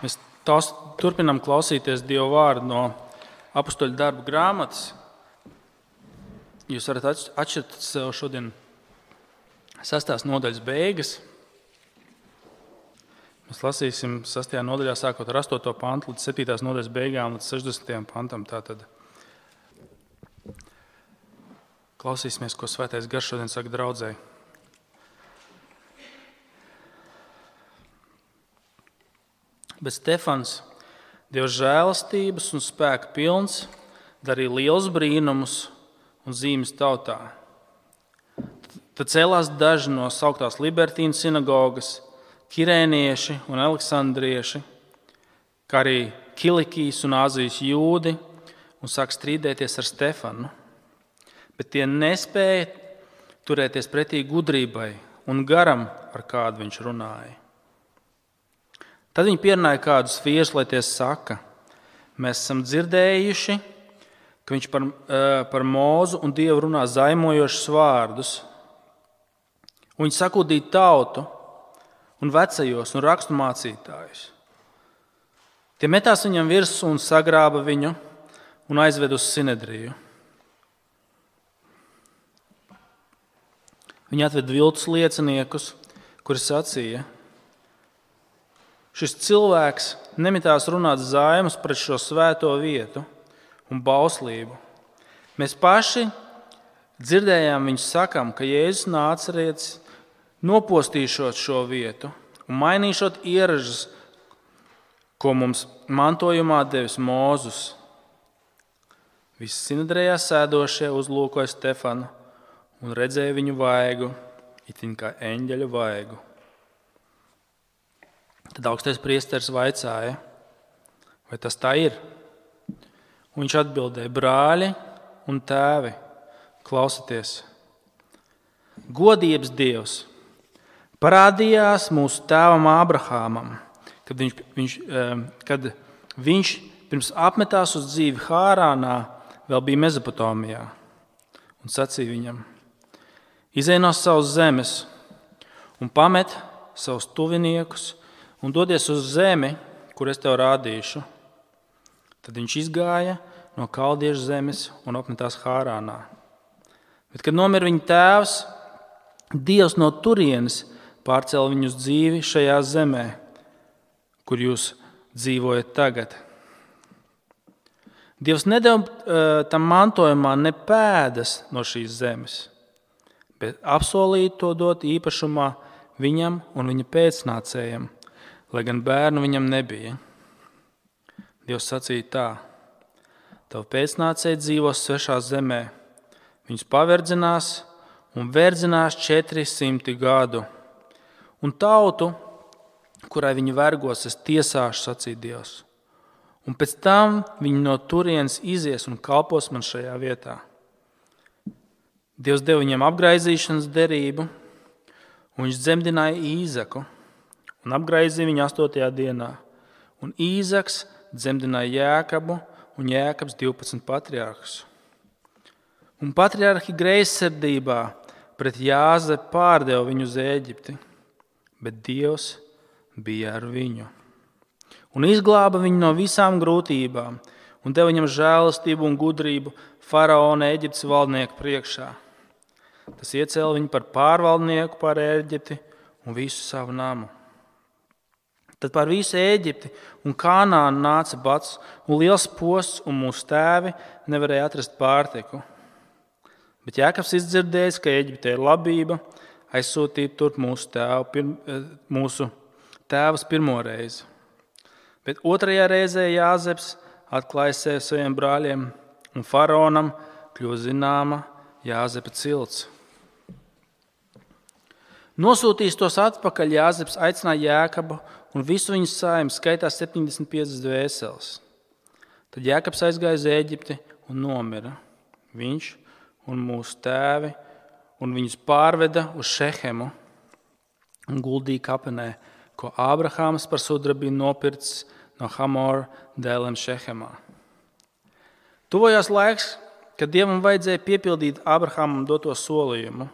Mēs turpinām klausīties Dieva vārdu no Apostoļu darbu grāmatas. Jūs varat atšķirt sev šodien 6. nodaļas beigas. Mēs lasīsim 6. nodaļā sākot ar 8. pantu līdz 7. nodaļas beigām līdz 60. pantam. Tātad klausīsimies, ko Svētais Gars šodien saka draudzei. Bet Stefans, Dieva žēlastības un spēka pilns, darīja lielus brīnumus un zīmes tautā. Tad cēlās daži no sauktās Libertīnu sinagogas, kirēnieši un aleksandrieši, kā arī Kilikijas un Āzijas jūdi, un sāk strīdēties ar Stefanu. Bet tie nespēja turēties pretī gudrībai un garam, ar kādu viņš runāja. Tad viņi pierunāja kādus vīrus, lai tie saka: mēs esam dzirdējuši, ka viņš par Mūzu un Dievu runā zaimojošus vārdus. Un viņi sakūdīja tautu un vecajos un rakstu mācītājus. Tie metās viņam virsū un sagrāba viņu un aizved uz Sinedriju. Viņi atved viltus lieciniekus, kuri sacīja: šis cilvēks nemitās runāt zaimus pret šo svēto vietu un bauslību. Mēs paši dzirdējām viņu sakām, ka Jēzus Nācerietis nopostīšot šo vietu un mainīšot ieražas, ko mums mantojumā devis Mūzus. Visi Sinedrijā sēdošie uzlūkoja Stefanu un redzēja viņu vaigu, itin kā eņģeļa vaigu. Tad augstais priesteris vaicāja, vai tas tā ir? Un viņš atbildēja: brāļi un tēvi, klausieties! Godības Dievs parādījās mūsu tēvam Ābrahāmam, kad viņš pirms apmetās uz dzīvi Hārānā vēl bija Mezopotāmijā, un sacīja viņam: izej no savas zemes un pamet savus tuviniekus un dodies uz zemi, kur es tev rādīšu. Tad viņš izgāja no kaldiešu zemes un apmetās Hārānā. Bet, kad nomira viņa tēvs, Dievs no turienes pārcēla viņu uz dzīvi šajā zemē, kur jūs dzīvojat tagad. Dievs nedeva tam mantojumā ne pēdas no šīs zemes, bet apsolīja to dot īpašumā viņam un viņa pēcnācējiem, lai gan bērnu viņam nebija. Dievs sacīja tā: tavu pēcnācēji dzīvos svešā zemē, viņus paverdzinās un verdzinās 400 gadu, un tautu, kurai viņi vergos, es tiesāšu, sacīja Dievs, un pēc tam viņi no turienes izies un kalpos man šajā vietā. Dievs deva viņam apgraizīšanas derību, un viņš dzemdināja Īzaku un apgraizīja viņu 8. dienā. Un Īzaks dzemdināja Jēkabu, un Jēkabs 12 patriarhus. Un patriarhi greizsirdībā pret Jāzepu pārdeva viņu uz Ēģipti, bet Dievs bija ar viņu. Un izglāba viņu no visām grūtībām, un deva viņam žēlastību un gudrību faraona Ēģiptes valdnieku priekšā. Tas iecēla viņu par pārvaldnieku pār Ēģipti un visu savu namu. Tad pār visu Ēģipti un Kanānu nāca bats un liels posts, un mūsu tēvi nevarēja atrast pārtiku. Bet Jēkabs izdzirdējis, ka Ēģiptē ir labība, aizsūtīja turp mūsu tēvus pirmo reizi. Bet otrajā reizē Jāzeps atklāja sevi saviem brāļiem, un faraonam kļuva zināma Jāzepa cilts. Nosūtījis tos atpakaļ, Jāzeps aicināja Jēkabu un visu viņu saimi, skaitā 75 dvēseles. Tad Jēkabs aizgāja uz Ēģipti un nomira. Viņš un mūsu tēvi, un viņus pārveda uz Šehemu un guldīja kapenē, ko Ābrahāms par sudrabu nopircis no Hamora dēliem Šehemā. Tuvojās laiks, kad Dievam vajadzēja piepildīt Ābrahāmam doto solījumu,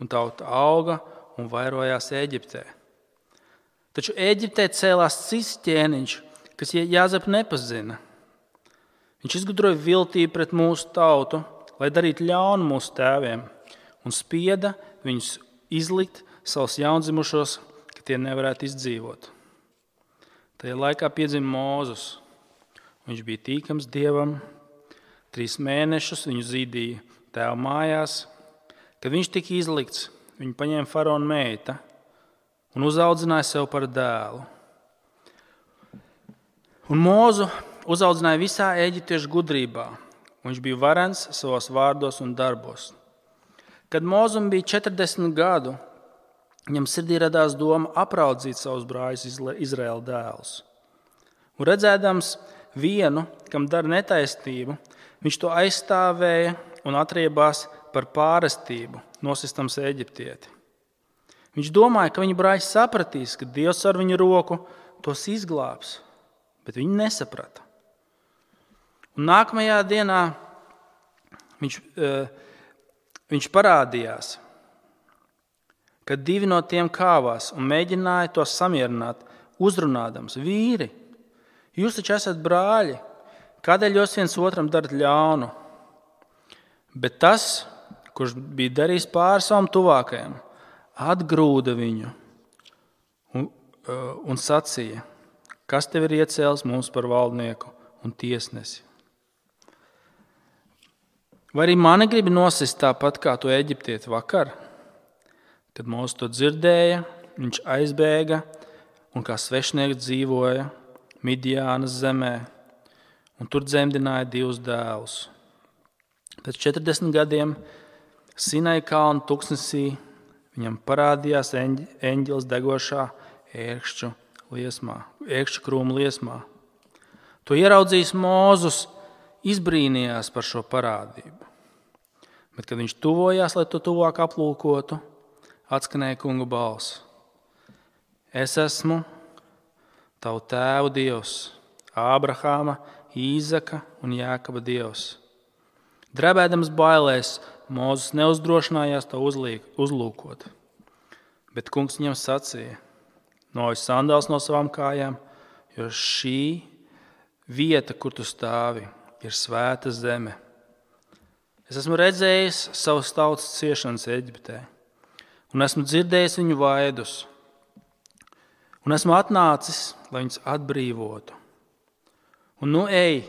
un tauta auga un vairojās Ēģiptē. Taču Ēģiptē cēlās cits ķēniņš, kas Jāzepu nepazina. Viņš izgudroja viltību pret mūsu tautu, lai darītu ļaunu mūsu tēviem, un spieda viņus izlikt savus jaundzimušos, ka tie nevarētu izdzīvot. Tajā laikā piedzima Mūzes. Viņš bija tīkams Dievam, 3 mēnešus viņu zīdīja tēva mājās. Kad viņš tika izlikts, viņu paņēma faraona meita un uzaudzināja sev par dēlu. Un Mūzu uzaudzināja visā eģiptiešu gudrībā. Viņš bija varens savos vārdos un darbos. Kad Mūzum bija 40 gadu, viņam sirdī radās doma apraudzīt savus brāļus Izraēla dēlus. Un redzēdams vienu, kam dara netaisnību, viņš to aizstāvēja un atriebās par pārestību, nosistams Eģiptieti. Viņš domāja, ka viņa brāļi sapratīs, ka Dievs ar viņu roku tos izglābs, bet viņi nesaprata. Un nākamajā dienā viņš parādījās, kad 2 no tiem kāvās un mēģināja tos samierināt, uzrunādams: vīri, jūs taču esat brāļi, kādēļ jūs viens otram darat ļaunu? Bet tas, kurš bija darījis pāri savam tuvākajam, atgrūda viņu un sacīja: kas tev ir iecēlis mums par valdnieku un tiesnesi? Vai arī mani gribi nosist tāpat kā to eģiptieti vakar? Kad Mūzes to dzirdēja, viņš aizbēga un kā svešnieks dzīvoja Midjānas zemē, un tur dzemdināja 2 dēlus. Pēc 40 gadiem Sinai kalna tuksnesī viņam parādījās eņģelis degošā ērkšķu krūmu liesmā. To ieraudzījis Mūzes, izbrīnījās par šo parādību. Bet, kad viņš tuvojās, lai to tuvāk aplūkotu, atskanēja kunga balss: es esmu tavu tēvu Dievs, Ābrahāma, Īzaka un Jākaba Dievs. Drebēdams bailēs, Mūzes neuzdrošinājās to uzlūkot. Bet kungs viņam sacīja: noj sandāls no savām kājām, jo šī vieta, kur tu stāvi, ir svēta zeme. Es esmu redzējis savas tautas ciešanas Eģiptē, un esmu dzirdējis viņu vaidus, un esmu atnācis, lai viņus atbrīvotu. Un nu ej,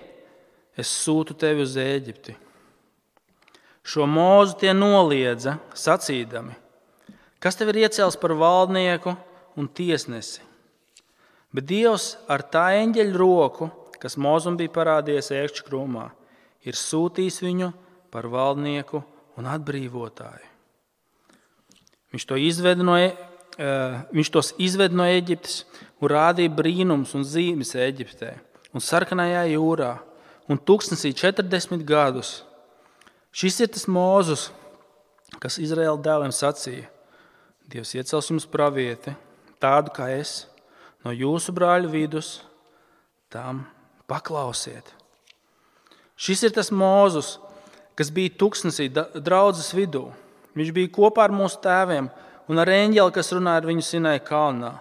es sūtu tevi uz Ēģipti. Šo Mūzu tie noliedza, sacīdami: kas tev ir iecēlis par valdnieku un tiesnesi? Bet Dievs ar tā eņģeļa roku, kas Mūzum bija parādījies ērkšķu krūmā, ir sūtījis viņu par valdnieku un atbrīvotāju. Viņš tos izved no Eģiptes un rādīja brīnums un zīmes Eģiptē un Sarkanajā jūrā un tuksnesī 40 gadus. Šis ir tas Mūzes, kas Izraēla dēliem sacīja: Dievs iecels jums pravieti, tādu kā es, no jūsu brāļu vidus, tām paklausiet. Šis ir tas Mūzes, kas bija tuksnesī draudzes vidū. Viņš bija kopā ar mūsu tēviem un ar eņģeli, kas runāja ar viņu Sinai kalnā.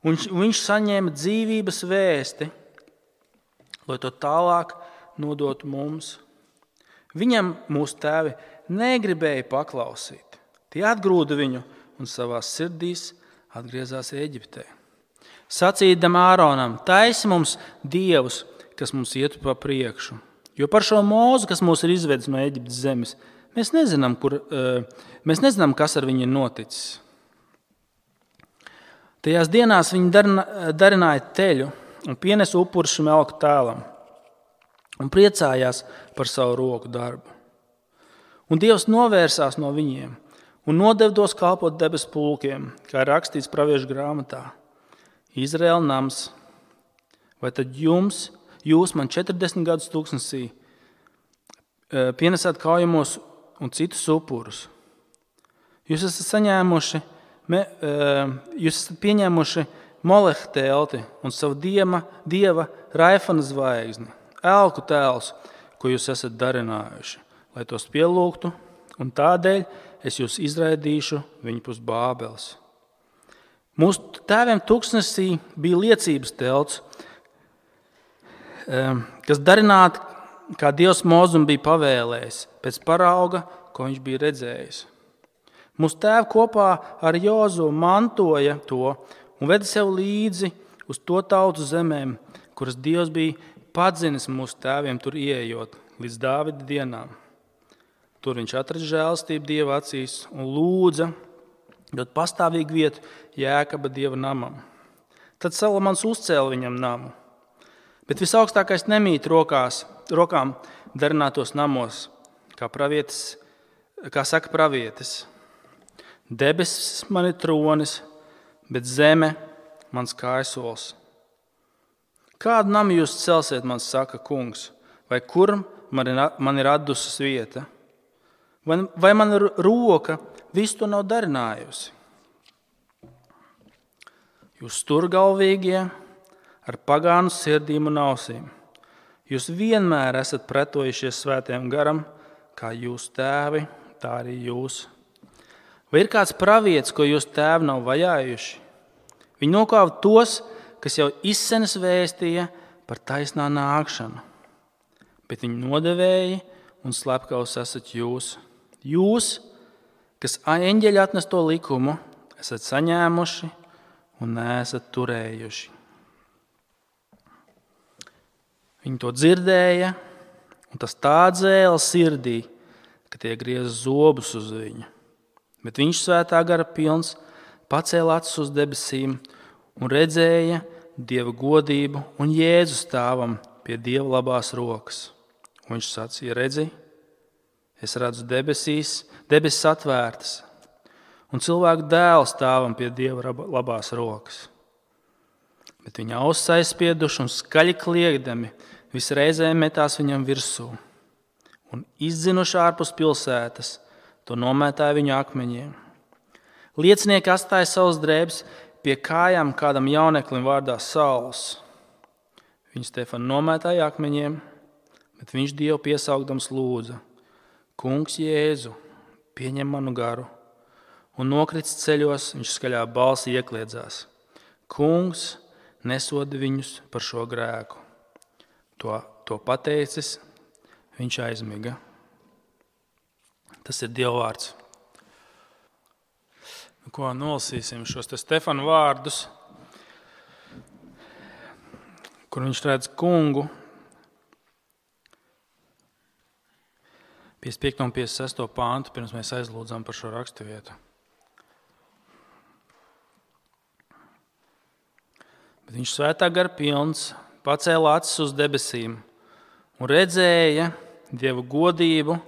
Un viņš saņēma dzīvības vēsti, lai to tālāk nodotu mums. Viņam mūsu tēvi negribēja paklausīt. Tie atgrūda viņu un savās sirdīs atgriezās Eģiptē. Sacīdam Āronam: taisi mums dievus, kas mums ietu pa priekšu. Jo par šo Mūzu, kas mūs ir izvedis no Eģiptes zemes, mēs nezinām, kas ar viņu ir noticis. Tajās dienās viņi darināja teļu un pienesa upurus šim elku tēlam un priecājās par savu roku darbu. Un Dievs novērsās no viņiem un nodeva tos kalpot debesu pulkiem, kā ir rakstīts praviešu grāmatā: Izraēla nams, vai tad jūs man 40 gadus tuksnesī pienesāt kaujamos un citus upurus? Jūs esat pieņēmuši Moleha telti un savu dieva Raifana zvaigzni, elku tēls, ko jūs esat darinājuši, lai tos pielūgtu, un tādēļ es jūs izraidīšu viņu pus Bābeles. Mūsu tēviem tuksnesī bija liecības telts, kas darināti, kā Dievs Mozum bija pavēlējis, pēc parauga, ko viņš bija redzējis. Mūsu tēvi kopā ar Jozu mantoja to un veda sev līdzi uz to tautu zemēm, kuras Dievs bija padzinis mūsu tēviem tur ieejot līdz Dāvida dienām. Tur viņš atrada žēlastību Dieva acīs un lūdza dot pastāvīgu vietu Jēkaba Dieva namam. Tad Salamans uzcēla viņam namu. Bet visaugstākais nemīt rokām darinātos namos, kā saka pravietis. Debesis man ir tronis, bet zeme mans kājasols. Kādu namu jūs celsiet, man saka kungs, vai kur man ir atdusas vieta? Vai man roka visu to nav darinājusi? Jūs sturgalvīgie ar pagānu sirdīm un ausīm. Jūs vienmēr esat pretojušies svētajam garam, kā jūs tēvi, tā arī jūs. Vai ir kāds pravietis, ko jūs tēvi nav vajājuši? Viņi nokāva tos, kas jau izsenes vēstīja par taisnā nākšanu. Bet viņi nodevēji un slepkavs esat jūs. Jūs, kas eņģeļi atnesto likumu, esat saņēmuši un neesat turējuši. Viņi to dzirdēja, un tas tā dzēla sirdī, ka tie grieza zobus uz viņu. Bet viņš svētā gara pilns pacēla acis uz debesīm un redzēja Dieva godību un Jēzu stāvam pie Dieva labās rokas. Un viņš sacīja, redzi, es redzu debesis atvērtas, un cilvēku dēlu stāvam pie Dieva labās rokas. Bet viņa ausis aizspieduši un skaļi kliegdami visreizēm metās viņam virsū. Un izdzinuši ārpus pilsētas, to nomētāja viņu akmeņiem. Liecinieki atstāja savus drēbes pie kājām kādam jauneklim vārdā Sauls. Viņu Stefanu nomētāja akmeņiem, bet viņš Dievu piesaukdams lūdza: Kungs Jēzu, pieņem manu garu. Un nokritis ceļos, viņš skaļā balsī iekliedzās: Kungs, nesodi viņus par šo grēku. To pateicis, viņš aizmiga. Tas ir Dieva vārds. Ko nolasīsim šos te Stefanu vārdus, kur viņš redz kungu. 55. un 56. pāntu, pirms mēs aizlūdzam par šo raksturvietu. Bet viņš svētā gara pilns pacēla acis uz debesīm un redzēja Dieva godību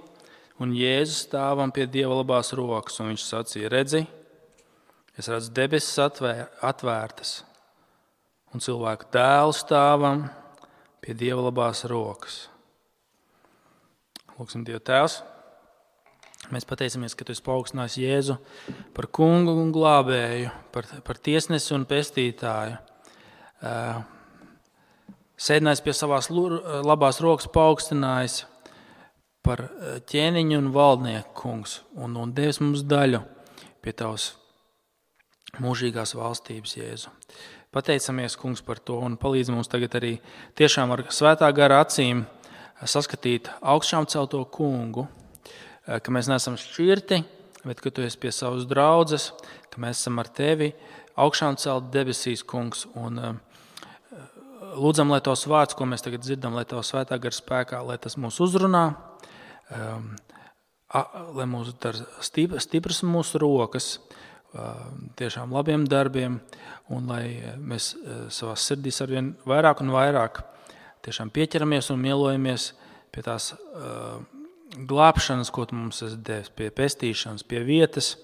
un Jēzus stāvam pie Dieva labās rokas. Un viņš sacīja, redzi, es redzu debesis atvērtas un cilvēku dēlu stāvam pie Dieva labās rokas. Lūksim Dievu Tēvs, mēs pateicamies, ka Tu esi paaugstinājis Jēzu par kungu un glābēju, par tiesnesi un pestītāju. Sēdinājis pie savās labās rokas, paaugstinājis par ķēniņu un valdnieku kungs un devis mums daļu pie Tavas mūžīgās valstības, Jēzu. Pateicamies, kungs, par to un palīdz mums tagad arī tiešām ar svētā gara acīm saskatīt augšām celto kungu, ka mēs neesam šķirti, bet ka Tu esi pie savas draudzes, ka mēs esam ar Tevi augšām celt debesīs, kungs, un lūdzam, lai Tavs vārds, ko mēs tagad dzirdam, lai Tavs svētā gara spēkā, lai tas mūs uzrunā, lai mūs dara stipras mūsu rokas, tiešām labiem darbiem, un lai mēs savās sirdīs arvien vairāk un vairāk tiešām pieķeramies un mielojamies pie tās glābšanas, ko Tu mums esi devis, pie pestīšanas, pie vietas,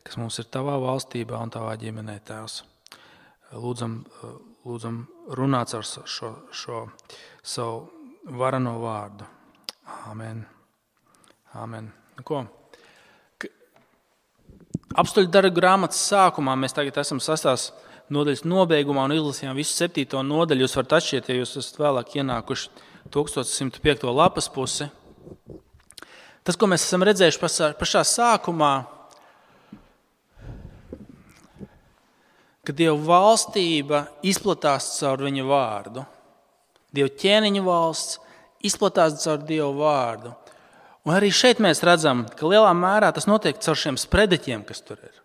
kas mums ir Tavā valstībā un Tavā ģimenē, Tēvs. Lūdzam runāt ar šo savu varano vārdu. Āmen. Āmen. Ko? Apstuļu darbu grāmatas sākumā mēs tagad esam 6. nodaļas nobeigumā un izlasījām visu 7. nodaļu. Jūs varat atšķirt, ja jūs esat vēlāk ienākuši 1105. lapas pusi. Tas, ko mēs esam redzējuši pašā sākumā, ka Dieva valstība izplatās caur viņa vārdu. Dieva ķēniņa valsts izplatās caur Dieva vārdu. Un arī šeit mēs redzam, ka lielā mērā tas notiek caur šiem sprediķiem, kas tur ir.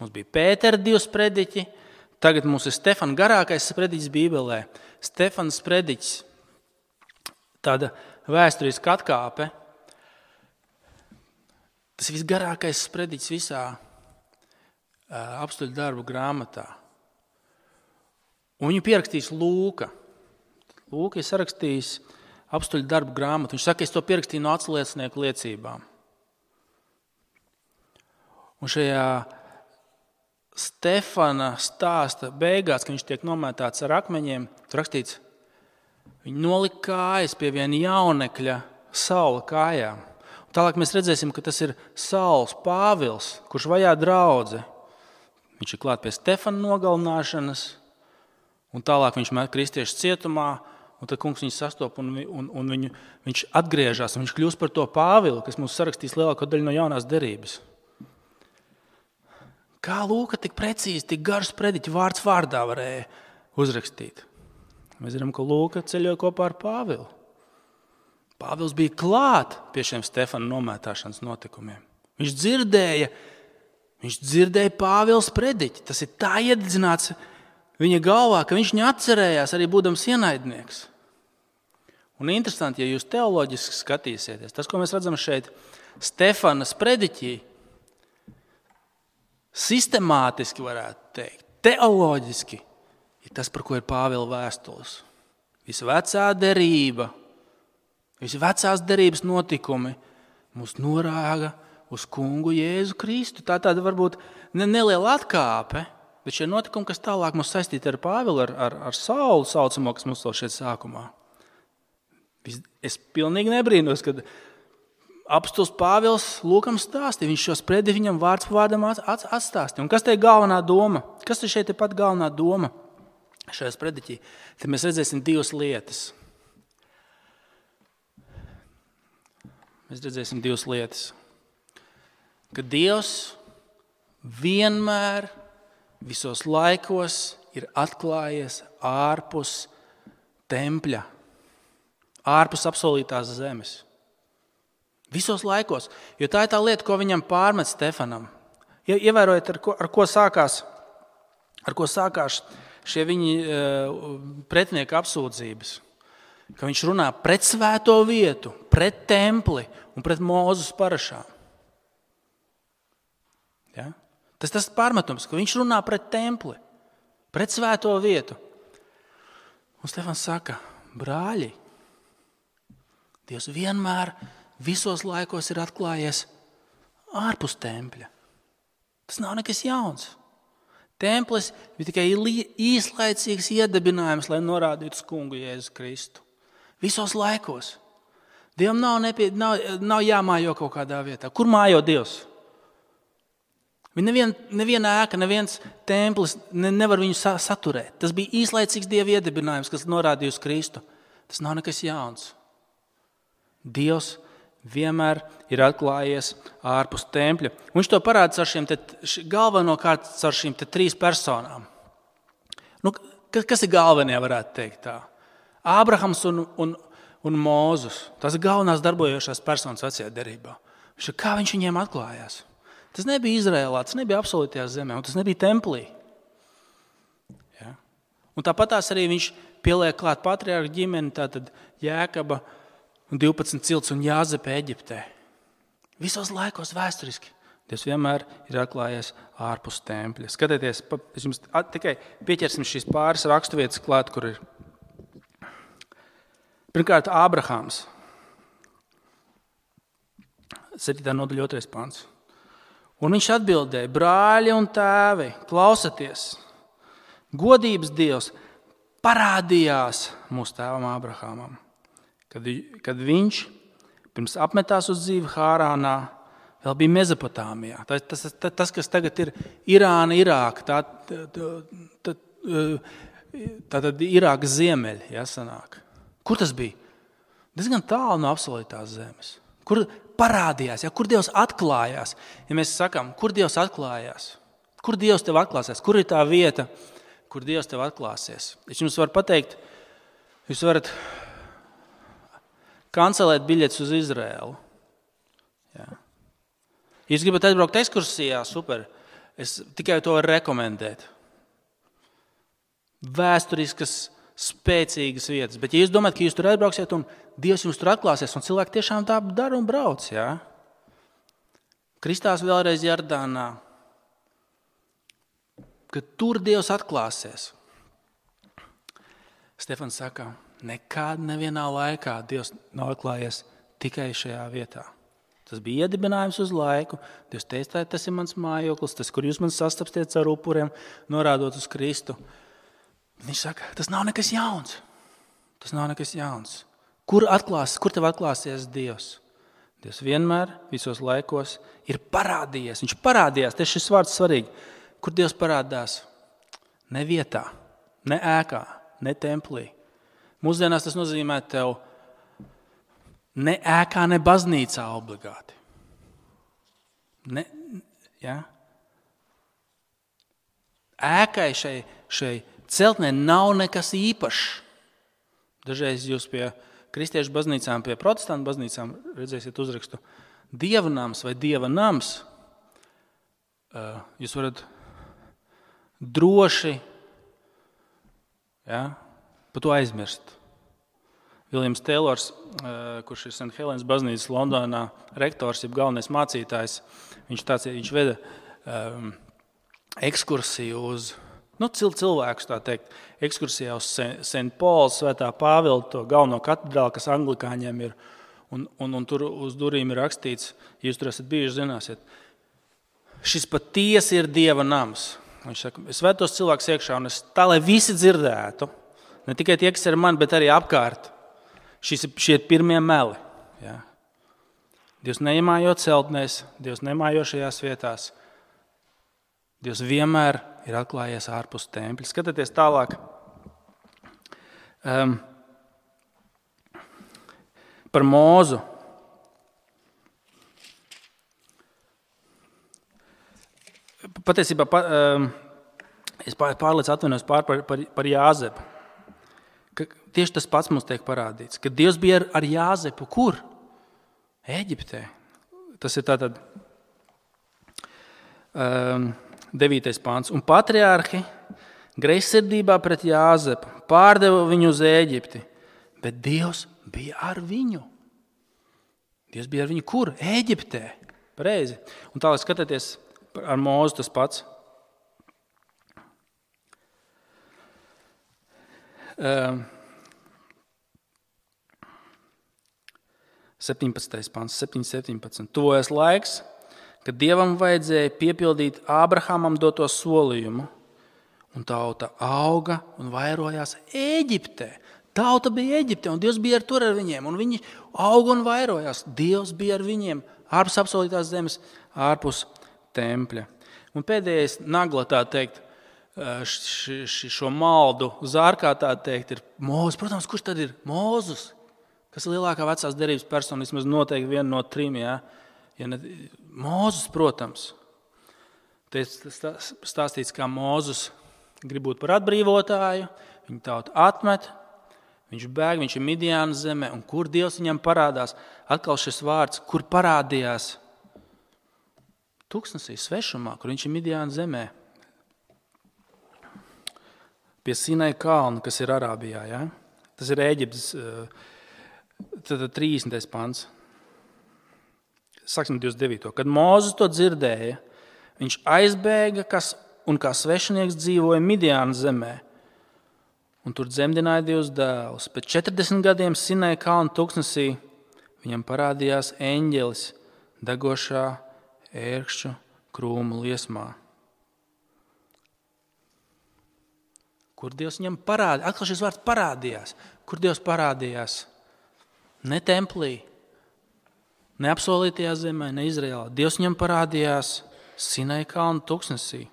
Mums bija Pētera 2 sprediķi, tagad mums ir Stefana garākais sprediķis Bībelē. Stefana sprediķis, tāda vēsturiska atkāpe. Tas ir visgarākais sprediķis visā apstuļu darbu grāmatā. Un viņu pierakstījis Lūka. Lūka ir sarakstījis apstuļu darbu grāmatu. Viņš saka, es to pierakstīju no atsliecinieku liecībām. Un šajā Stefana stāsta beigās, kad viņš tiek nomētāts ar akmeņiem, tur rakstīts, viņi nolika kājas pie viena jaunekļa Saula kājām. Un tālāk mēs redzēsim, ka tas ir Sauls Pāvils, kurš vajā draudzi. Viņš ir klāt pie Stefana nogalināšanas, un tālāk viņš met kristiešu cietumā, un tad kungs viņu sastop, un viņš atgriežas, un viņš kļūst par to Pāvilu, kas mums sarakstīs lielāko daļu no jaunās derības. Kā Lūka tik precīzi, tik garš sprediķi vārds vārdā varēja uzrakstīt? Mēs zinām, ka Lūka ceļoja kopā ar Pāvilu. Pāvils bija klāt pie šiem Stefana nomētāšanas notikumiem. Viņš dzirdēja Pāvila sprediķi. Tas ir tā iededzināts viņa galvā, ka viņš viņu atcerējās arī būdams ienaidnieks. Un interesanti, ja jūs teoloģiski skatīsieties, tas, ko mēs redzam šeit Stefana sprediķī, sistemātiski varētu teikt, teoloģiski, ir tas, par ko ir Pāvila vēstules. Visa vecā derība, visi vecās derības notikumi mūs norāga uz kungu Jēzu Kristu. Tā tāda varbūt neliela atkāpe, bet šie notikumi, kas tālāk mums saistīti ar Pāvilu, ar Saulu saucamo, kas mums vēl šeit sākumā. Es pilnīgi nebrīnos, kad apstulis Pāvils Lūkam stāstīja. Viņš šo spredi viņam vārds pa vārdam atstāstīja. Un kas te ir galvenā doma? Kas te šeit ir pat galvenā doma šajā sprediķī? Tad mēs redzēsim 2 lietas. Mēs redzēsim 2 lietas. Ka Dievs vienmēr, visos laikos ir atklājies ārpus tempļa, ārpus apsolītās zemes. Visos laikos, jo tā ir tā lieta, ko viņam pārmet Stefanam. Ievērojiet, ar ko sākās šie viņi pretinieka apsūdzības. Ka viņš runā pret svēto vietu, pret templi un pret Mūzes parašām. Ja? Tas pārmetums, ka viņš runā pret templi, pret svēto vietu. Un Stefans saka, brāļi, Dievs vienmēr visos laikos ir atklājies ārpus tempļa. Tas nav nekas jauns. Templis bija tikai īslaicīgs iedibinājums, lai norādītu uz kungu Jēzus Kristu. Visos laikos. Dievam nav jāmājo kaut kādā vietā. Kur mājo Dievs? Neviena ēka, neviens templis nevar viņu saturēt. Tas bija īslaicīgs Dieva iedibinājums, kas norādīja uz Kristu. Tas nav nekas jauns. Dievs vienmēr ir atklājies ārpus tempļa. Viņš to parāda galvenokārt ar šīm 3 personām. Kas ir galvenie, varētu teikt tā? Ābrahams un Mūzes. Tas ir galvenās darbojošās personas vecajā derībā. Kā viņš viņiem atklājās? Tas nebija Izrēlā, tas nebija apsolītajā zemē, un tas nebija templī. Ja? Un tāpatās arī viņš pieliek klāt patriarhu ģimeni, tātad Jēkaba un 12 cilts un Jāzepa Eģiptē. Visos laikos vēsturiski Dievs vienmēr ir atklājies ārpus tempļa. Skatieties, es jums tikai pieķersim šīs pāris raksturvietas klāt, kur ir. Pirmkārt, Ābrahāms. 7. nodaļa 2. pants. Un viņš atbildēja, brāļi un tēvi, klausaties, godības Dievs parādījās mūsu tēvam Ābrahāmam, kad viņš pirms apmetās uz dzīvi Hārānā, vēl bija Mezopotāmijā. Tas, kas tagad ir Irāna, Irāka, tātad Irākas ziemeļi, jāsanāk. Kur tas bija? Diezgan tālu no apsolītās zemes. Kur parādījās, kur Dievs atklājās? Ja mēs sakām, kur Dievs atklājās? Kur Dievs tev atklāsies? Kur ir tā vieta, kur Dievs tev atklāsies? Es jums varu pateikt, jūs varat kancelēt biļetes uz Izraēlu. Jā. Jūs gribat aizbraukt ekskursijā, super. Es tikai to varu rekomendēt. Vēsturiskas, spēcīgas vietas. Bet ja jūs domājat, ka jūs tur aizbrauksiet un Dievs jums tur atklāsies, un cilvēki tiešām tā dara un brauc, jā? Kristās vēlreiz Jordānā, ka tur Dievs atklāsies. Stefans saka, nekad nevienā laikā Dievs nav atklājies tikai šajā vietā. Tas bija iedibinājums uz laiku. Dievs teica, tas ir mans mājoklis, tas, kur jūs man sastapstiet ar upuriem, norādot uz Kristu. Viņš saka, tas nav nekas jauns. Tas nav nekas jauns. Kur tev atklāsies Dievs? Dievs vienmēr, visos laikos, ir parādījies. Viņš parādījās, tieši šis vārds svarīgi. Kur Dievs parādās? Ne vietā, ne ēkā, ne templī. Mūsdienās tas nozīmē tev ne ēkā, ne baznīcā obligāti. Ja? Ēkai šai celtnē nav nekas īpašs. Dažreiz jūs pie kristiešu baznīcām, pie protestantu baznīcām redzēsiet uzrakstu Dieva nams vai Dieva nams. Jūs varat droši par to aizmirst. Viljams Teilors, kurš ir St. Helēnas baznīcas Londonā rektors, jeb galvenais mācītājs, viņš veda ekskursiju uz cilvēkus, tā teikt, ekskursijā uz St. Pauls, Svētā Pāvila, to galveno katedrāli, kas anglikāņiem ir, un tur uz durvīm ir rakstīts, ja jūs tur esat bijuši, zināsiet, šis patiesi ir Dieva nams. Viņš saka, es vedu tos cilvēkus iekšā, un es tā, lai visi dzirdētu, ne tikai tie, kas ir mani, bet arī apkārt. Šie ir pirmie meli. Ja? Dievs neiemājo celtnēs, Dievs nemājo šajās vietās. Dievs vienmēr ir atklājies ārpus tempļa. Skatieties tālāk. Par Mūzu. Patiesībā es pārliec atvainojos par Jāzepu. Tieši tas pats mums tiek parādīts, ka Dievs bija ar Jāzepu. Kur? Ēģiptē. Tas ir tātad 9. pāns. Un patriārhi greizsirdībā pret Jāzepu pārdeva viņu uz Ēģipti, bet Dievs bija ar viņu. Dievs bija ar viņu kur? Ēģiptē. Pareizi. Un tālāk skatieties ar Mūzu tas pats. 17. pants, 7.17. Tuvojas laiks, kad Dievam vajadzēja piepildīt Ābrahamam doto solījumu, un tauta auga un vairojās Ēģiptē. Tauta bija Ēģiptē, un Dievs bija tur ar viņiem, un viņi auga un vairojās. Dievs bija ar viņiem ārpus apsolītās zemes, ārpus tempļa. Un pēdējais nagla, tā teikt, šo maldu zārkā, tā teikt, ir Mūzes. Protams, kurš tad ir Mūzus? Kas ir lielākā vecās derības persona, vismaz noteikti viena no 3, ja ne, Mūzus, protams. Te stāstīts, kā Mūzus grib būt par atbrīvotāju, viņa tauta atmet, viņš bēg, viņš ir Midjānas zemē, un kur Dievs viņam parādās? Atkal šis vārds, kur parādījās? Tuksnesī, svešumā, kur viņš ir Midjānas zemē. Pie Sinai kalna, kas ir Arābijā. Ja? Tas ir Ēģiptes 30. pants. Sāksim 29. Kad Mūzes to dzirdēja, viņš aizbēga un kā svešinieks dzīvoja Midjānas zemē. Un tur dzemdināja 2 dēlus. Pēc 40 gadiem Sinai kalna tuksnesī viņam parādījās eņģelis degošā ērkšķu krūmu liesmā. Kur Dievs viņam parādījās? Atkal šis vārds parādījās. Kur Dievs parādījās? Ne templī, ne apsolītajā zemē, ne Izraēlā. Dievs viņam parādījās Sinai kalna tuksnesī.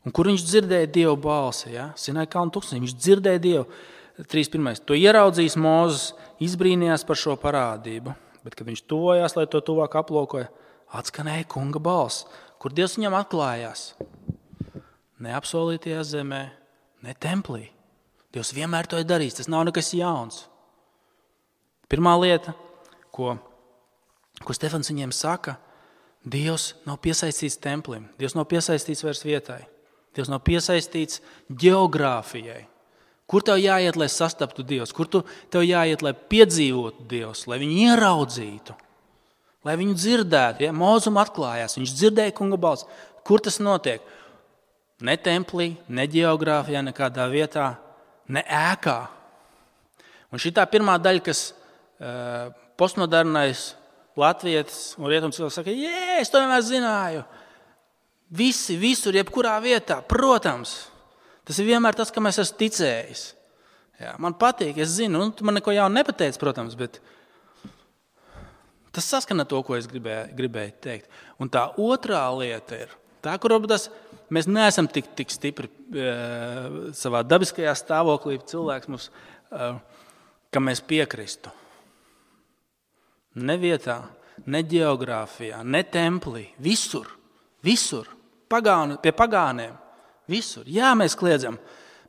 Un kur viņš dzirdēja Dievu balsi? Ja? Sinai kalna tuksnesī. Viņš dzirdēja Dievu. 3.1. To ieraudzījis Mūzes, izbrīnījās par šo parādību. Bet, kad viņš tuvojās, lai to tuvāk aplūkoja, atskanēja kunga balss. Kur Dievs viņam atklājās? Ne apsolītajā zemē, ne templī. Dievs vienmēr to ir darījis, tas nav nekas jauns. Pirmā lieta, ko Stefans viņiem saka, Dievs nav piesaistīts templim, Dievs nav piesaistīts vairs vietai, Dievs nav piesaistīts geogrāfijai. Kur tev jāiet, lai sastaptu Dievs? Kur tev jāiet, lai piedzīvotu Dievs, lai viņu ieraudzītu, lai viņu dzirdētu? Ja? Mūzum atklājās, viņš dzirdēja kunga balsi. Kur tas notiek? Ne templī, ne geogrāfijā, nekādā vietā, ne ēkā. Un šī tā pirmā daļa, kas postmodernais latvietis un rietumcilvēks saka, es to vienmēr zināju. Visi, visur, jebkurā vietā, protams. Tas ir vienmēr tas, kam es esmu ticējis. Jā, man patīk, es zinu, tu man neko jaunu nepateici, protams, bet tas saskana to, ko es gribēju teikt. Un tā otrā lieta ir, tā, kur varbūt mēs neesam tik stipri savā dabiskajā stāvoklī, cilvēks mums, ka mēs piekristu. Ne vietā, ne geogrāfijā, ne templī, visur, pie pagāniem. Visur. Jā, mēs kliedzam,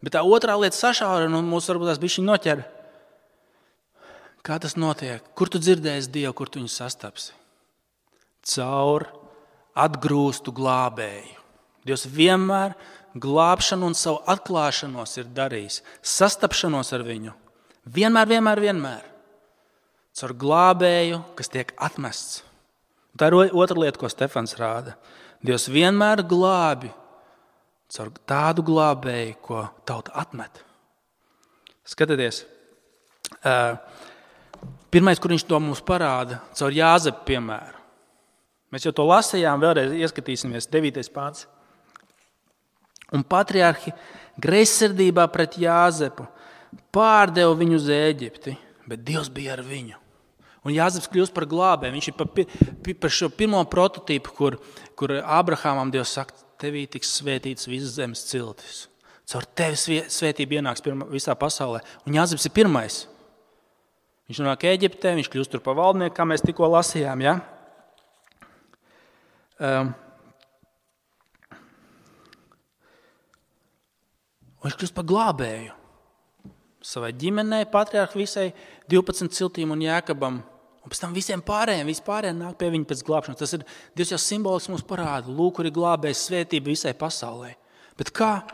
bet tā otrā lieta sašaurina un mūs varbūt tās bišķiņ noķer. Kā tas notiek? Kur tu dzirdēsi Dievu, kur tu viņu sastapsi? Caur atgrūstu glābēju. Dievs vienmēr glābšanu un savu atklāšanos ir darījis. Sastapšanos ar viņu. Vienmēr. Caur glābēju, kas tiek atmests. Tā ir otra lieta, ko Stefans rāda. Dievs vienmēr glābi caur tādu glābēju, ko tauta atmet. Skatieties, pirmais, kur viņš to mums parāda, caur Jāzepa piemēru. Mēs jau to lasījām, vēlreiz ieskatīsimies, 9. pāns. Un patriarhi greizsirdībā pret Jāzepu pārdeva viņu uz Ēģipti, bet Dievs bija ar viņu. Un Jāzeps kļūst par glābēju. Viņš ir par šo pirmo prototīpu, kur Abrahamam Dievs saka, tevī tiks svētīts visas zemes ciltis. Caur tevi svētība ienāks visā pasaulē. Un Jāzeps ir pirmais. Viņš nonāk Ēģiptē, viņš kļūst tur par valdnieku, kā mēs tikko lasījām. Ja? Viņš kļūst par glābēju. Savai ģimenei, patriarhu visai 12 ciltīm un Jēkabam. Un pēc tam visiem pārējiem, nāk pie viņa pēc glābšanas. Tas ir Dievs jau simboliski mums parāda. Lūk, kur ir glābējis svētība visai pasaulē. Bet kā?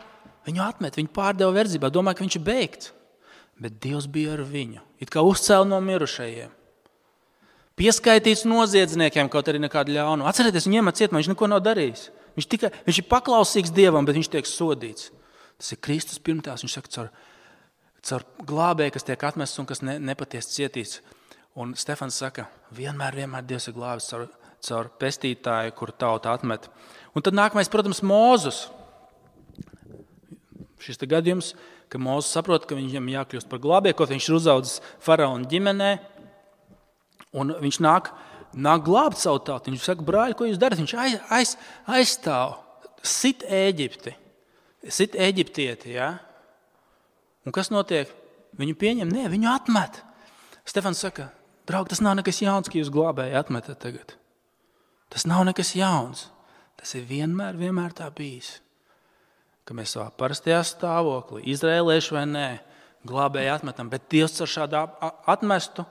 Viņu atmet, viņu pārdeva verdzībā. Domāju, ka viņš ir beigts. Bet Dievs bija ar viņu. It kā uzcēla no mirušajiem. Pieskaitīts noziedzniekiem, kaut arī nekādu ļaunu. Atcerieties, viņu iemet cietumā, viņš neko nav darījis. Viņš ir paklausīgs Dievam, bet viņš tiek sodīts. Tas ir Kristus pirmtās. Viņš saka, caur glābēju, kas tiek atmests un kas nepatiesi cietīts. Un Stefans saka, vienmēr Dievs ir glābis caur pestītāju, kur tauta atmet. Un tad nākamais, protams, Mūzus. Šis te gadījums, ka Mūzus saprot, ka viņam jākļūst par glābēju, kaut viņš ir uzaudzis faraona ģimenē. Un viņš nāk glābt savu tautu. Viņš saka, brāļi, ko jūs darat? Viņš aizstāv, sit Ēģipti, sit eģiptieti. Ja? Un kas notiek? Viņu pieņem? Nē, viņu atmet. Stefans saka, draugi, tas nav nekas jauns, ka jūs glābēji atmetat tagad. Tas nav nekas jauns. Tas ir vienmēr tā bijis. Ka mēs savā parastajā stāvoklī, izrēlieši vai nē, glābēji atmetam, bet Dievs ar šādu atmestu,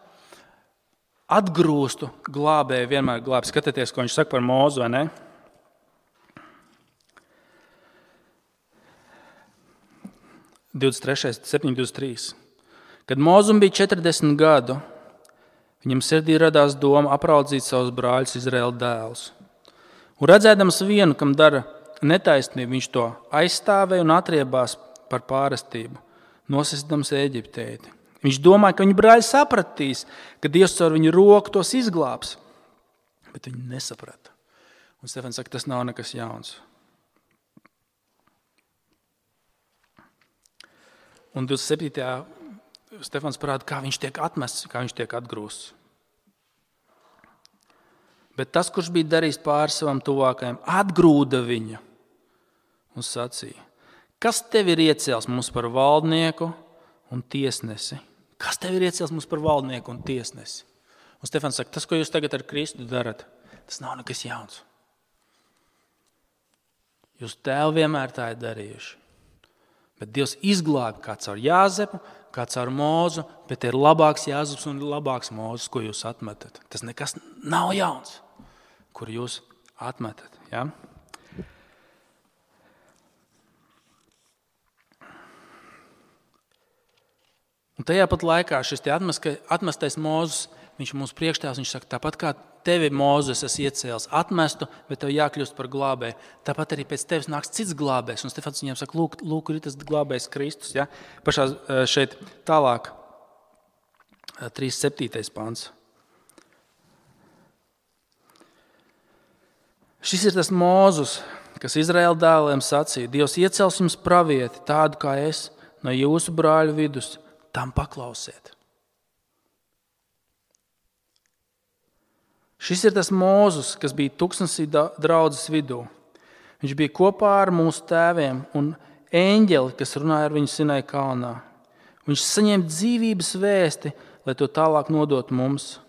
atgrūstu glābēju vienmēr glābi. Skatieties, ko viņš saka par Mūzu, vai ne? (23. 7.23) Kad Mūzum bija 40 gadu, viņam sirdī radās doma apraudzīt savus brāļus Izraēla dēlus. Un redzēdams vienu, kam dara netaisnību, viņš to aizstāvēja un atriebās par pārestību, nosistams Ēģiptēti. Viņš domāja, ka viņa brāļi sapratīs, ka Dievs caur viņu roku tos izglābs, bet viņi nesaprata. Un Stefans saka, tas nav nekas jauns. Un 27. Stefans parāda, kā viņš tiek atmests, kā viņš tiek atgrūsts. Bet tas, kurš bija darījis pāri savam tuvākajam, atgrūda viņu un sacīja, kas tev ir iecēls mums par valdnieku un tiesnesi? Kas tev ir iecēls mums par valdnieku un tiesnesi? Un Stefans saka, tas, ko jūs tagad ar Kristu darat, tas nav nekas jauns. Jūs tēvi vienmēr tā ir darījuši. Bet Dievs izglāba kā caur Jāzepu, kā caur Mūzu, bet ir labāks Jāzeps un labāks Mūzes, ko jūs atmetat. Tas nekas nav jauns, kur jūs atmetat. Ja? Un tajā pat laikā šis atmestais Mūzes, viņš mums priekštēvs, viņš saka, tāpat kā tevi Mūzes esi iecēlis atmestu, bet tev jākļūst par glābēju. Tāpat arī pēc tevis nāks cits glābējs. Un Stefans viņiem saka, lūk, ir tas glābējs Kristus. Ja? Pašā šeit tālāk, 3.7. pants. Šis ir tas Mūzus, kas Izraēla dēliem sacīja, Dievs iecels jums pravieti, tādu kā es, no jūsu brāļu vidus, tam paklausiet. Šis ir tas Mūzus, kas bija tuksnesī draudzes vidū. Viņš bija kopā ar mūsu tēviem un eņģeli, kas runāja ar viņu Sinai kalnā. Viņš saņēma dzīvības vēsti, lai to tālāk nodot mums.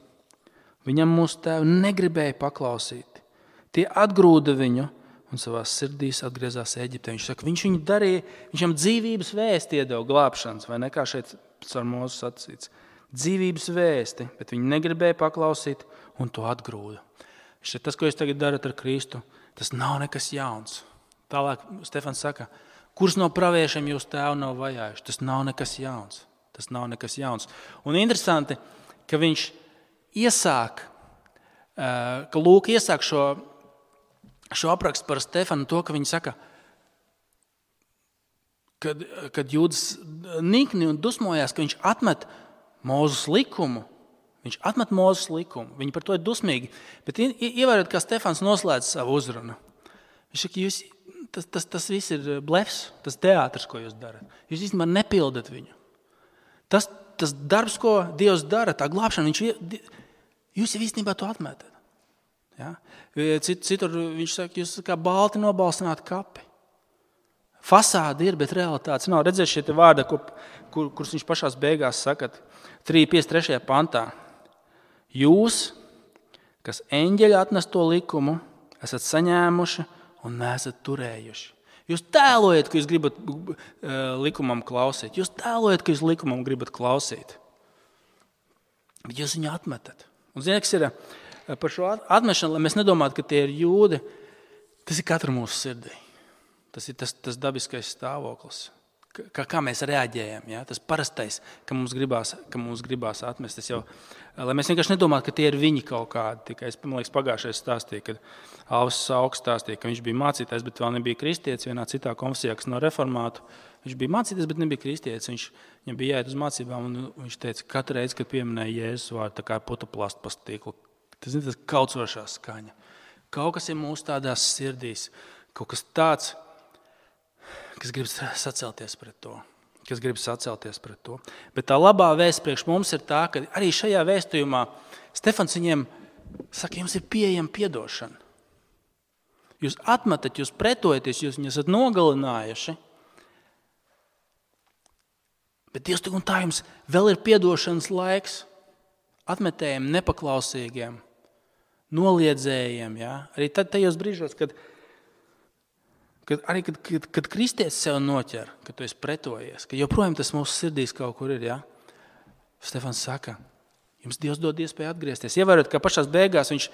Viņam mūsu tēvi negribēja paklausīt. Tie atgrūda viņu un savās sirdīs atgriezās Eģiptē. Viņš saka, viņš viņu darīja, viņam dzīvības vēsti iedeva glābšanas, vai ne kā šeit ar Mūzu sacīts. Dzīvības vēsti, bet viņi negribēja paklausīt un to atgrūda. Tas, ko jūs tagad darat ar Kristu, tas nav nekas jauns. Tālāk Stefans saka, kurš no praviešiem jūs tēvu nav vajājuši? Tas nav nekas jauns. Tas nav nekas jauns. Un interesanti, ka viņš iesāk šo aprakstu par Stefanu to, ka viņi saka, kad Jūdas nikni un dusmojās, ka viņš atmet Mūzes likumu. Viņš atmet Mūzes likumu. Viņi par to ir dusmīgi. Bet ievērot, kā Stefans noslēdz savu uzrunu. Viņš saka, tas viss ir blefs, tas teātris, ko jūs darat. Jūs īstenībā nepildat viņu. Tas darbs, ko Dievs dara, tā glābšana, jūs jau īstenībā to atmetat. Ja? Citur viņš saka, jūs kā balti nobalstināt kapi. Fasāde ir, bet realitātes nav. Redzēt šie vārdi, kurus viņš pašās beigās saka 3.53. pantā. Jūs, kas eņģeļi atnesto likumu, esat saņēmuši un neesat turējuši. Jūs tēlojat, ka jūs gribat likumam klausīt. Jūs tēlojat, ka jūs likumam gribat klausīt. Bet jūs viņu atmetat. Un ziniet, kas ir par šo atmešanu, lai mēs nedomātu, ka tie ir jūdi, tas ir katra mūsu sirdī. Tas ir tas dabiskais stāvoklis, kā mēs reaģējam. Ja? Tas parastais, ka mums gribās atmest. Lai mēs vienkārši nedomātu, ka tie ir viņi kaut kādi. Tikai es, man liekas, pagājušais stāstīju, kad Alvis Sauks stāstīja, ka viņš bija mācītājs, bet vēl nebija kristietis vienā citā konfesijā, kas no reformātu. Viņš bija mācītājs, bet nebija kristietis. Viņam bija jāiet uz mācībām, un viņš teica, katru reizi, kad pieminēja Jēzus vārdu, tā kā putuplastu pa stiklu. Tas ir tas kaucošā skaņa. Kaut kas ir mūsu tādās sirdīs, kaut kas tāds, kas grib sacelties pret to. Bet tā labā vēsts priekš mums ir tā, ka arī šajā vēstījumā Stefans viņiem saka, jums ir pieejama piedošana. Jūs atmetat, jūs pretojaties, jūs viņus esat nogalinājuši. Bet Dievs tik un tā jums vēl ir piedošanas laiks atmetējiem, nepaklausīgiem, noliedzējiem. Ja? Arī tajos brīžos, kad kristietis sev noķer, kad tu esi pretojies, ka joprojām tas mūsu sirdīs kaut kur ir, ja? Stefans saka, jums Dievs dod iespēju atgriezties. Ievērot, ka pašās beigās viņš,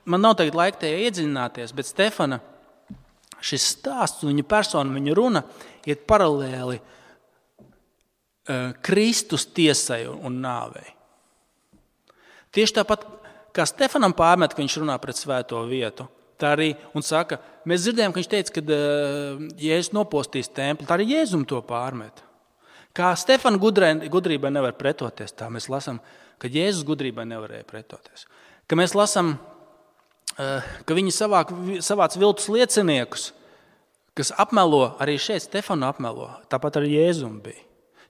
man nav tagad laika tajā iedziļināties, bet Stefana šis stāsts, viņa persona, viņa runa iet paralēli Kristus tiesai un nāvei. Tieši tāpat, kā Stefanam pārmet, ka viņš runā pret svēto vietu, tā arī, un saka, mēs dzirdējām, ka viņš teica, ka Jēzus nopostīs templi, tā arī Jēzum to pārmet. Kā Stefana gudrībai nevar pretoties, tā mēs lasām, ka Jēzus gudrībai nevarēja pretoties. Ka mēs lasām, ka viņi savāc viltus lieciniekus, kas apmelo, arī šeit Stefanu apmelo, tāpat arī Jēzum bija.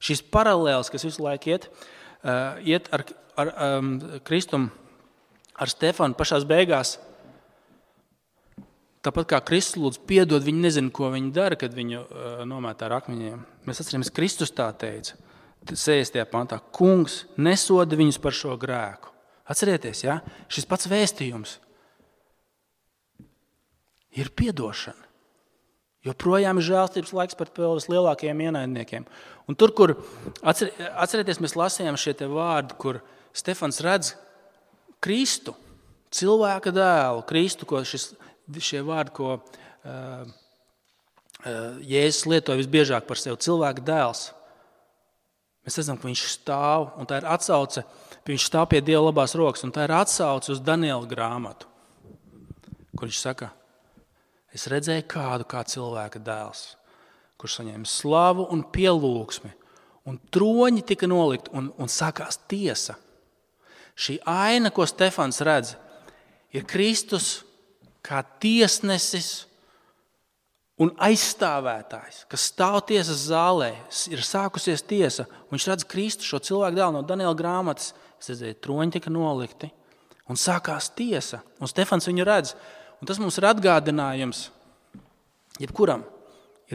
Šis paralēls, kas visu laiku iet ar Kristumu, ar Stefanu pašās beigās, tāpat kā Kristus lūdz piedod, viņi nezina, ko viņi dara, kad viņu nomētā ar akmeņiem. Mēs atceramies, Kristus tā teica, 60. pantā, kungs nesoda viņus par šo grēku. Atcerieties, ja? Šis pats vēstījums. ir piedošana. Joprojām ir žēlstības laiks pret vēl vislielākajiem ienaidniekiem. Un tur, kur atcerieties, mēs lasījām šie te vārdi, kur Stefans redz Kristu, cilvēka dēlu, Kristu, šie vārdi, ko Jēzus lietoja visbiežāk par sevi, cilvēka dēls. Mēs redzam, ka viņš stāv, un tā ir atsauce, viņš stāv pie Dieva labās rokas, un tā ir atsauce uz Daniela grāmatu, kur viņš saka, es redzēju kādu kā cilvēka dēls, kurš saņēma slavu un pielūgsmi, un troņi tika nolikt, un sākās tiesa. Šī aina, ko Stefans redz, ir Kristus kā tiesnesis un aizstāvētājs, kas stāv tiesas zālē, ir sākusies tiesa, un viņš redz Kristu, šo cilvēku dēlu no Daniela grāmatas, es redzēju, troņi tika nolikti, un sākās tiesa, un Stefans viņu redz. Un tas mums ir atgādinājums, jebkuram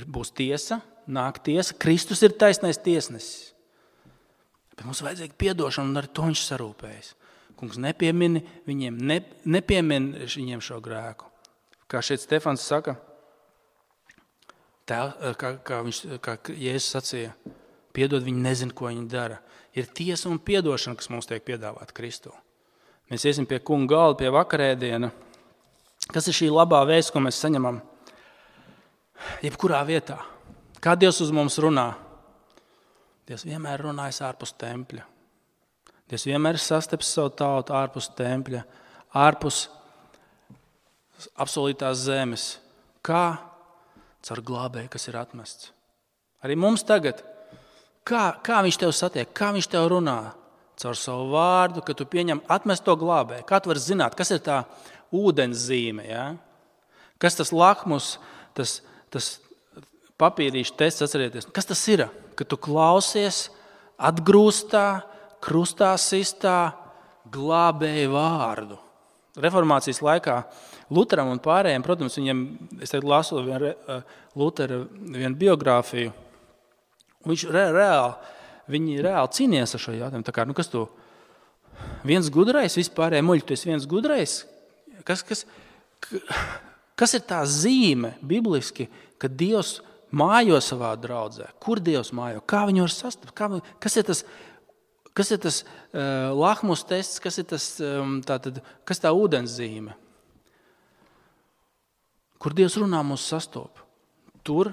būs tiesa, nāk tiesa, Kristus ir taisnais tiesnesis. Bet mums vajadzīga piedošana, un ar to viņš sarūpējas. Kungs nepiemin viņiem šo grēku. Kā šeit Stefans saka, kā Jēzus sacīja, piedod, viņi nezin, ko viņi dara. Ir tiesa un piedošana, kas mums tiek piedāvāta Kristū. Mēs iesim pie kunga galda, pie vakarēdiena. Kas ir šī labā vēsts, ko mēs saņemam jebkurā vietā? Kā Dievs uz mums runā? Dievs vienmēr runājas ārpus tempļa. Dievs vienmēr sastapis savu tautu ārpus tempļa, ārpus apsolītās zemes. Kā? Caur glābēju, kas ir atmests. Arī mums tagad. Kā viņš tev satiek? Kā viņš tev runā? Caur savu vārdu, ka tu pieņem atmesto glābēju. Kā tu vari zināt, kas ir tā ūdens zīme, ja? Kas tas lakmus, tas papīrīšu tests, atcerieties, kas tas ir? Ka tu klausies atgrūstā, krustā sistā glābēju vārdu. Reformācijas laikā Luteram un pārējiem, protams, viņiem, es tagad lasu Lutera vienu biogrāfiju, un viņi reāli cīnījās ar šo jautājumu. Tā kā, kas tu viens gudrais, vispārējie muļi, tu esi viens gudrais? Kas ir tā zīme bibliski, ka Dievs mājo savā draudzē? Kur Dievs mājo? Kā viņu var sastapt? Kas ir tas lakmus tests? Kas ir kas tā ūdens zīme? Kur Dievs runā mūs sastop? Tur,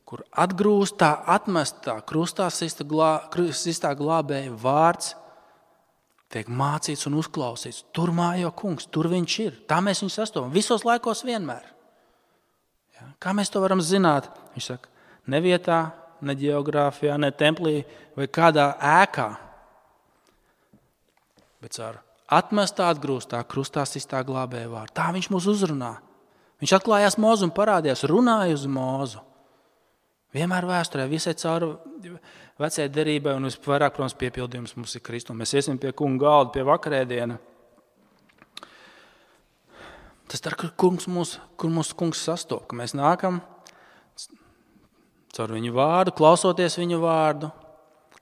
kur atgrūstā, atmestā, krustā sistā glābēja vārds tiek mācīts un uzklausīts. Tur mājo kungs, tur viņš ir. Tā mēs viņu sastopam. Visos laikos vienmēr. Ja? Kā mēs to varam zināt? Viņš saka, ne vietā, ne ģeogrāfijā, ne templī vai kādā ēkā. Bet caur atmestā, atgrūstā, krustā sistā glābēja vārdu. Tā viņš mūs uzrunā. Viņš atklājās Mozu un parādījās, runāja uz Mozu. Vienmēr vēsturē, visai cauri vecajai derībai un visvairāk, protams, piepildījums mums ir Kristus. Mēs iesim pie kunga galda, pie vakarēdiena. Tas tā, kur mūsu kungs sastop, ka mēs nākam caur viņu vārdu, klausoties viņu vārdu,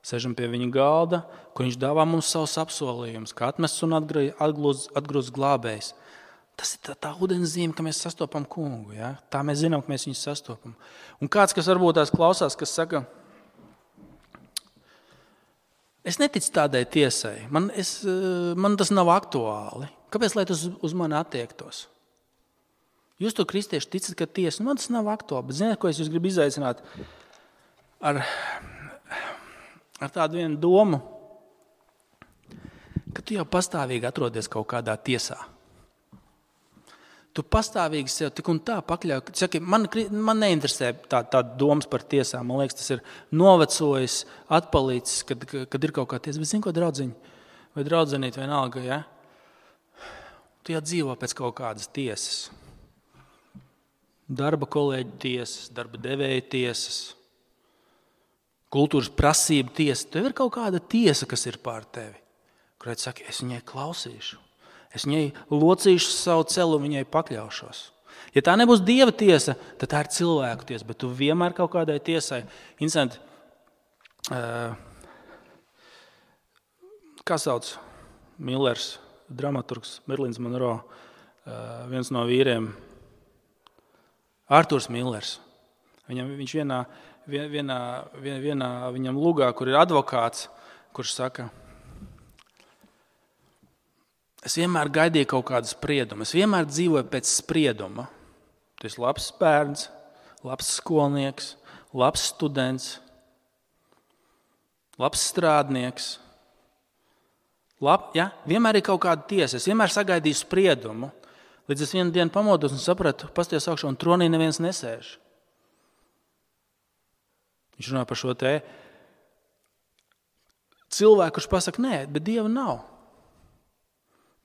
sežam pie viņa galda, kur viņš dāvā mums savus apsolījumus, kā atmests un atgrūsts glābējs. Tas ir tā ūdens zīme, ka mēs sastopam kungu. Ja? Tā mēs zinām, ka mēs viņu sastopam. Un kāds, kas varbūt tās klausās, kas saka, es neticu tādai tiesai, man tas nav aktuāli. Kāpēc, lai tas uz mani attiektos? Jūs to kristieši ticat, ka tiesa, man tas nav aktuāli, bet ziniet, ko es jūs gribu izaicināt ar tādu vienu domu, ka tu jau pastāvīgi atrodies kaut kādā tiesā. Tu pastāvīgi sev tik un tā pakļauj. Saki, man neinteresē tā domas par tiesām. Man liekas, tas ir novecojis, atpalīcis, kad ir kaut kā tiesa. Bet zini, ko draudziņi vai draudzenīt vienalga, ja? Tu jau dzīvo pēc kaut kādas tiesas. Darba kolēģu tiesas, darba devēja tiesas, kultūras prasība tiesa. Tev ir kaut kāda tiesa, kas ir pār tevi. Kurai tu saki, es viņai klausīšu. Es viņai locīšu savu celu un viņai pakļaušos. Ja tā nebūs Dieva tiesa, tad tā ir cilvēku tiesa, bet tu vienmēr kaut kādai tiesai. Interesanti, kā sauc Millers, dramaturgs, Marilyn Monroe, viens no vīriem, Arturs Millers. Viņš vienā viņam lugā, kur ir advokāts, kurš saka, es vienmēr gaidīju kaut kādu spriedumu. Es vienmēr dzīvoju pēc sprieduma. Tu esi labs bērns, labs skolnieks, labs students, labs strādnieks. Vienmēr ir kaut kāda tiesa. Es vienmēr sagaidīju spriedumu. Līdz es vienu dienu pamodos un sapratu, pasties augšā un tronī neviens nesēž. Viņš runā par šo te cilvēku, kurš pasaka, nē, bet Dieva nav.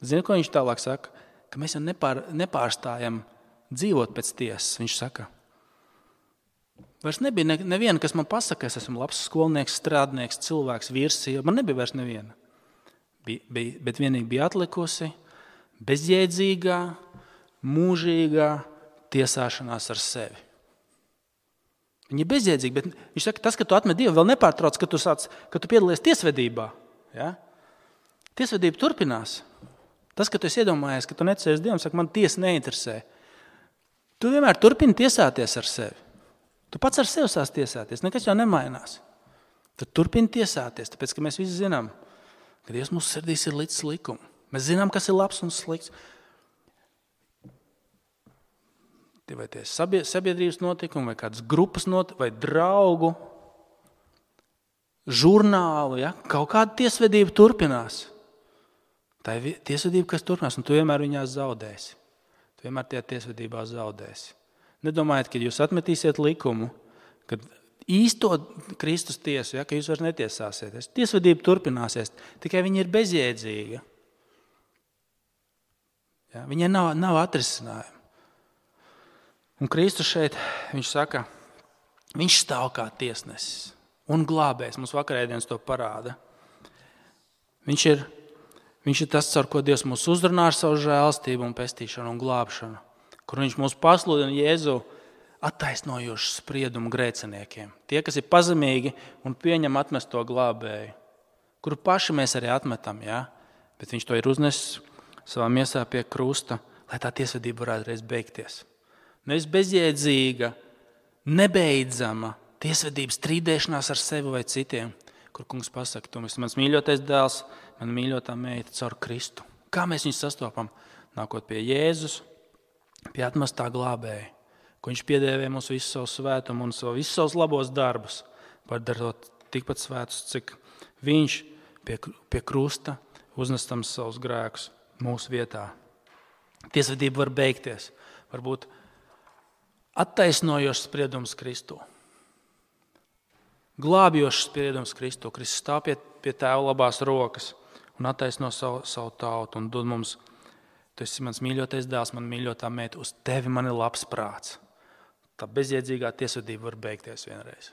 Zini, ko viņš tālāk saka? Ka mēs jau nepārstājam dzīvot pēc tiesas. Viņš saka, vairs nebija neviena, kas man pasaka, es esmu labs skolnieks, strādnieks, cilvēks, vīrs, sieva. Man nebija vairs neviena. Bet vienīgi bija atlikusi bezjēdzīgā, mūžīgā tiesāšanās ar sevi. Viņa ir bezjēdzīga, bet viņš saka, tas, ka tu atmet Dievu, vēl nepārtrauc, ka tu piedalies tiesvedībā. Ja? Tiesvedība turpinās. Tas, ka tu esi iedomājies, ka tu necēsi Dievam, saka, man tiesa neinteresē. Tu vienmēr turpini tiesāties ar sevi. Tu pats ar sevi sāc tiesāties, nekas jau nemainās. Tu turpini tiesāties, tāpēc, ka mēs visi zinām, ka Dievs mūsu sirdīs ir līdz likumu. Mēs zinām, kas ir labs un slikts. Vai tie sabiedrības notikumi, vai kādas grupas notikumi, vai draugu, žurnālu, ja? Kaut kāda tiesvedība turpinās. Tā ir tiesvedība, kas turpinās, un tu vienmēr viņās zaudēsi. Tu vienmēr tajā tiesvedībā zaudēsi. Nedomājiet, ka jūs atmetīsiet likumu, kad īsto Kristus tiesu, ja, ka jūs vairs netiesāsieties. Tiesvedība turpināsies, tikai viņa ir bezjēdzīga. Ja? Viņai nav atrisinājuma. Un Kristus šeit, viņš saka, viņš stāv kā tiesnesis un glābējs. Mums vakarēdienas to parāda. Viņš ir tas, caur ko Dievs mūs uzrunā ar savu žēlstību un pestīšanu un glābšanu, kur viņš mūs pasludina Jēzu attaisnojošu spriedumu grēciniekiem. Tie, kas ir pazemīgi un pieņem atmesto glābēju, kuru paši mēs arī atmetam, ja? Bet viņš to ir uznesis savā miesā pie krusta, lai tā tiesvedība varētu reiz beigties. Nevis bezjēdzīga, nebeidzama tiesvedības strīdēšanās ar sevi vai citiem, kur kungs pasaka, tu esi mans mīļotais dēls, mana mīļotā meita caur Kristu. Kā mēs viņu sastopam? Nākot pie Jēzus, pie atmestā glābēja, ko viņš piedēvē mums visu savu svētumu un visus savus labos darbus, padarot tikpat svētus, cik viņš pie krusta uznestam savus grēkus mūsu vietā. Tiesvedība var beigties, varbūt attaisnojošs spriedums Kristu. Glābjošs spriedums Kristu. Kristus stāv pie tēva labās rokas un attaisno savu tautu un dod mums, tu esi mans mīļotais dēls, man mīļotā meita, uz tevi man ir labs prāts. Tā bezjēdzīgā tiesvedība var beigties vienreiz.